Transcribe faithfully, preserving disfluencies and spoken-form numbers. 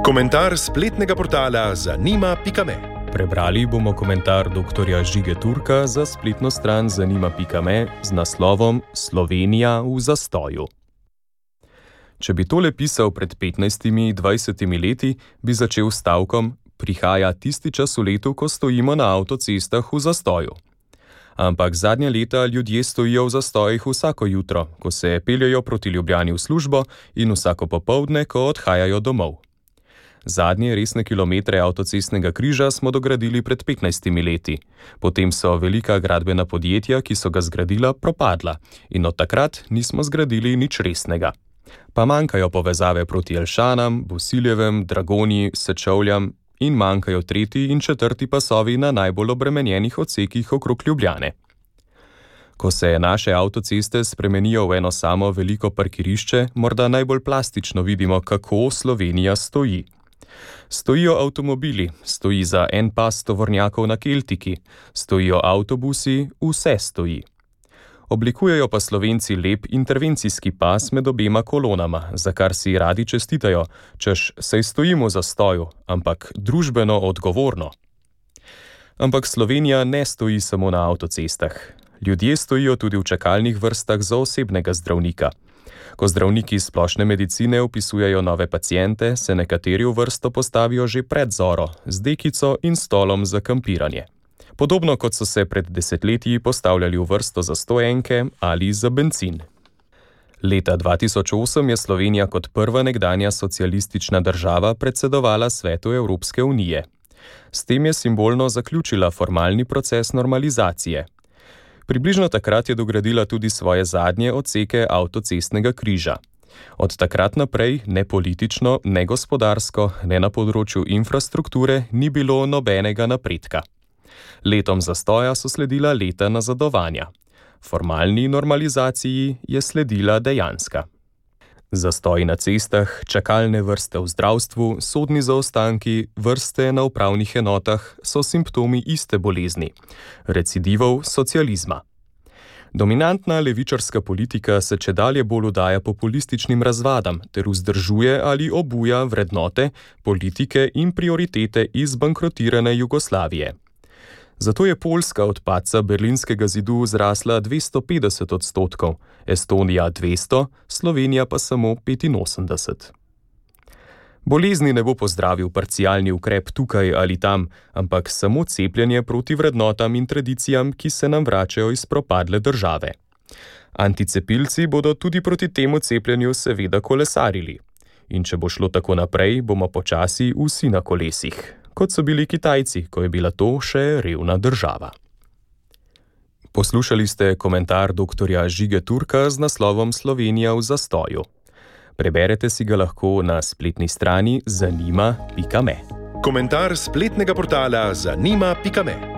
Komentar spletnega portala zanima pika me. Prebrali bomo komentar doktorja Žige Turka za spletno stran zanima pika me z naslovom Slovenija v zastoju. Če bi tole pisal pred petnajstimi, dvajsetimi leti, bi začel s stavkom: prihaja tisti čas v letu, ko stojimo na avtocestah v zastoju. Ampak zadnja leta ljudje stojijo v zastojih vsako jutro, ko se peljejo proti Ljubljani v službo, in vsako popoldne, ko odhajajo domov. Zadnje resne kilometre avtocestnega križa smo dogradili pred petnajstimi leti. Potem so velika gradbena podjetja, ki so ga zgradila, propadla, in od takrat nismo zgradili nič resnega. Pa manjkajo povezave proti Jelšanam, Bosiljevem, Dragonji, Sečovljam in manjkajo tretji in četrti pasovi na najbolj obremenjenih odsekih okrog Ljubljane. Ko se naše avtoceste spremenijo v eno samo veliko parkirišče, morda najbolj plastično vidimo, kako Slovenija stoji. Stojijo avtomobili, stoji za en pas tovornjakov na Keltiki, stojijo avtobusi, vse stoji. Oblikujejo pa Slovenci lep intervencijski pas med obema kolonama, za kar si radi čestitajo, češ saj stojimo v zastoju, ampak družbeno odgovorno. Ampak Slovenija ne stoji samo na avtocestah. Ljudje stojijo tudi v čakalnih vrstah za osebnega zdravnika. Ko zdravniki splošne medicine vpisujejo nove paciente, se nekateri v vrsto postavijo že pred zoro, z dekico in stolom za kampiranje. Podobno kot so se pred desetletji postavljali v vrsto za stojenke ali za bencin. Leta dva tisoč osem je Slovenija kot prva nekdanja socialistična država predsedovala Svetu Evropske unije. S tem je simbolno zaključila formalni proces normalizacije. Približno takrat je dogradila tudi svoje zadnje odseke avtocestnega križa. Od takrat naprej ne politično, ne gospodarsko, ne na področju infrastrukture ni bilo nobenega napredka. Letom zastoja so sledila leta nazadovanja. Formalni normalizaciji je sledila dejanska. Zastoji na cestah, čakalne vrste v zdravstvu, sodni zaostanki, vrste na upravnih enotah so simptomi iste bolezni, recidivov socializma. Dominantna levičarska politika se čedalje bolj udaja populističnim razvadam ter vzdržuje ali obuja vrednote, politike in prioritete iz bankrotirane Jugoslavije. Zato je Poljska od padca Berlinskega zidu zrasla dvesto petdeset odstotkov, Estonija dvesto, Slovenija pa samo petinosemdeset. Bolezni ne bo pozdravil parcialni ukrep tukaj ali tam, ampak samo cepljenje proti vrednotam in tradicijam, ki se nam vračajo iz propadle države. Anticepilci bodo tudi proti temu cepljenju seveda kolesarili. In če bo šlo tako naprej, bomo počasi vsi na kolesih, kot so bili Kitajci, ko je bila to še revna država. Poslušali ste komentar doktorja Žige Turka z naslovom Slovenija v zastoju. Preberete si ga lahko na spletni strani zanima pika me. Komentar spletnega portala zanima pika me.